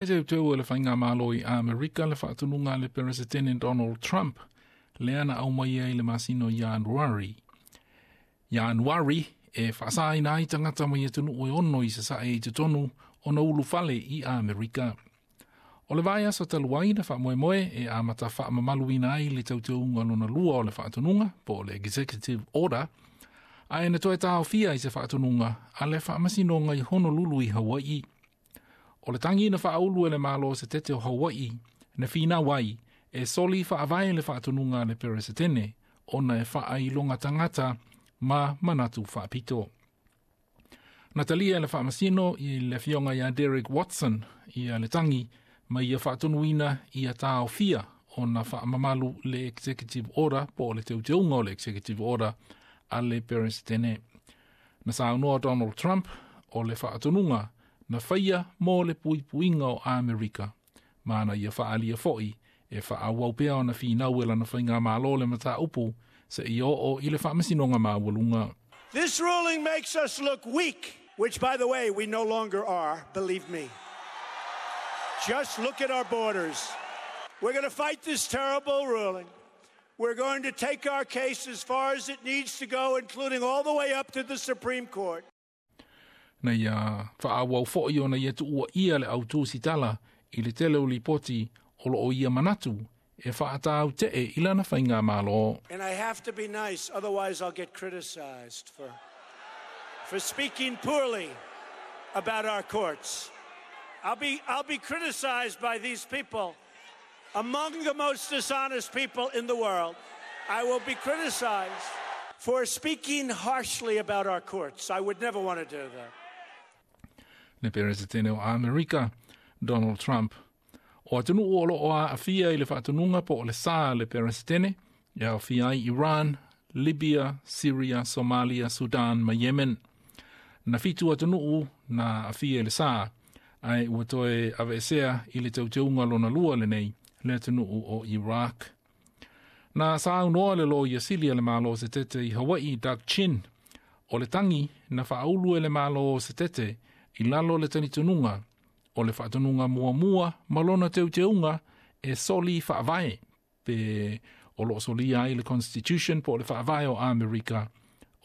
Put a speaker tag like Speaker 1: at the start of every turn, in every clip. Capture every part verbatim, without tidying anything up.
Speaker 1: E teuteu e le Faigamalo i Amerika le faatonuga a le Peresetene Donald Trump, lea na aumai ai le masina o Ianuari. Ianuari e faasaina ai tagata mai atunuu e ono i sasae i totonu ona ulufale i Amerika. O le vaiaso talu ai na faamoemoe e amata faamamaluina ai le teuteuga lona lua o le faatonuga po o le Executive Order, ae na toe taofia i se faatonuga a le Faamasinoga i Honolulu i Hawaii. O le tagi na faaulu e le Malo Setete o Hawaii na finau ai e soli faavae le faatonuga a le Peresetene ona e faailoga tagata ma manatu faapito. Na talia e le faamasino i le afioga ia Derek Watson ia le tagi ma ia faatonuina ia taofia ona faamamalu le Executive Order po o le teuteuga o le Executive Order a le Peresetene. Na saunoa Donald Trump o le faatonuga na faia mo le puipuiga o Amerika, ma na ia faaalia foi e faaauau pea ona finau e lana faigamalo le mataupu seia oo i le Faamasinoga Maualuga.
Speaker 2: This ruling makes us look weak, which, by the way, we no longer are, believe me. Just look at our borders. We're going to fight this terrible ruling. We're going to take our case as far as it needs to go, including all the way up to the Supreme Court.
Speaker 1: Na ia faaauau foi ona ia tuuaia le au tusitala i le tele o lipoti o loo ia manatu e faatautee i lana faigamalo.
Speaker 2: And I have to be nice, otherwise I'll get criticized for, for speaking poorly about our courts. I'll be, I'll be criticized by these people, among the most dishonest people in the world. I will be criticized for speaking harshly about our courts. I would never want to do that.
Speaker 1: Le Peresetene o Amerika, Donald Trump. O atunuu o loo aafia i le faatonuga po o le sa a le Peresetene, e aofia ai Iran, Libya, Syria, Somalia, Sudan ma Yemen. Na fitu atunuu na aafia i le sa, ae ua toe aveesea i le teuteuga lona lua lenei le atunuu o Iraq. Na saunoa le Loia Sili a le Malo Setete i Hawaii, Doug Chin, o le tagi na faaulu e le Malo Setete i lalo le talitonuga o le faatonuga muamua ma lona teuteuga e soli faavae pe o loo solia ai le Constitution po o le faavae o Amerika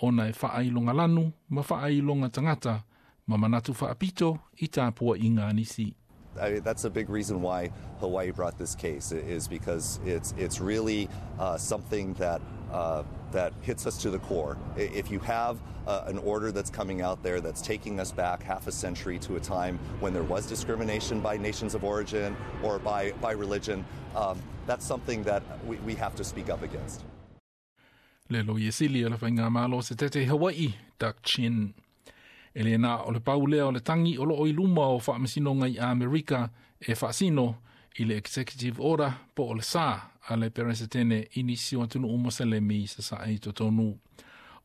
Speaker 1: ona e faailoga lanu ma faailoga tagata ma manatu faapito i tapuaiga a nisi.
Speaker 3: I mean, that's a big reason why Hawaii brought this case, is because it's it's really uh, something that uh, that hits us to the core. If you have uh, an order that's coming out there that's taking us back half a century to a time when there was discrimination by nations of origin or by, by religion, um, that's something that we, we have to speak up against.
Speaker 1: Le Loia Sili o le Faigamalo Setete Hawaii, Doug Chin. E le na o le pau lea o le tagi o loo i luma o Faamasinoga i Amerika e faasino i le Executive Order po o le sa a le Peresetene i nisi o atunuu Moselemi i sasae i totonu.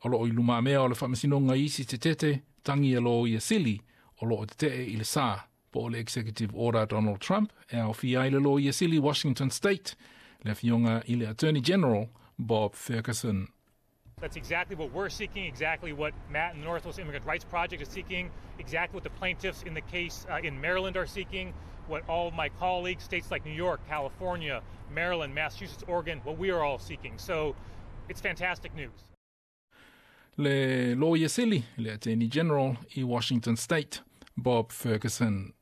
Speaker 1: O loo i lumamea o le Faamasinoga isi tetete tagi a Loia Sili o loo tetee i le sa po o le Executive Order Donald Trump e aofia ai le Loia Sili Washington State, le afioga i le Attorney General Bob Ferguson.
Speaker 4: That's exactly what we're seeking, exactly what Matt and the Northwest Immigrant Rights Project is seeking, exactly what the plaintiffs in the case uh, in Maryland are seeking, what all of my colleagues, states like New York, California, Maryland, Massachusetts, Oregon, what we are all seeking. So it's fantastic news.
Speaker 1: Le Loia Sili, le Attorney General i Washington State, Bob Ferguson.